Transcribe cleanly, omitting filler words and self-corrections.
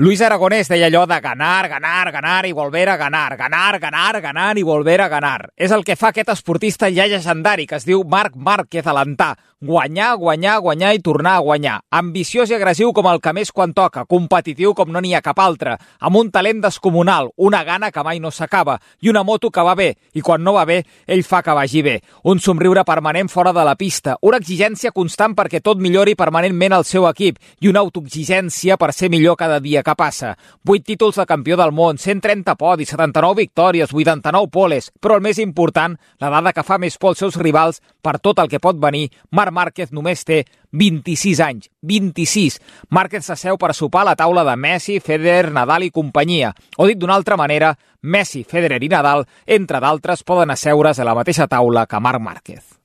Luis Aragonés deia allò de ganar, ganar, ganar i volver a ganar, ganar, ganar, ganar i volver a ganar. És el que fa aquest esportista ja llegendari que es diu Marc Márquez Alentà. Guanyar, guanyar, guanyar i tornar a guanyar. Ambiciós i agressiu com el que més quan toca, competitiu com no n'hi ha cap altre, amb un talent descomunal, una gana que mai no s'acaba i una moto que va bé, i quan no va bé, ell fa que vagi bé. Un somriure permanent fora de la pista, una exigència constant perquè tot millori permanentment el seu equip i una autoexigència per ser millor cada dia que passa. 8 títols de campió del món, 130 podis, 79 victòries, 89 poles, però el més important, la dada que fa més por als seus rivals per tot el que pot venir, Marc Márquez només té 26 anys. 26. Márquez s'asseu per sopar a la taula de Messi, Federer, Nadal i companyia. O dit d'una altra manera, Messi, Federer i Nadal, entre d'altres, poden asseure's a la mateixa taula que Marc Márquez.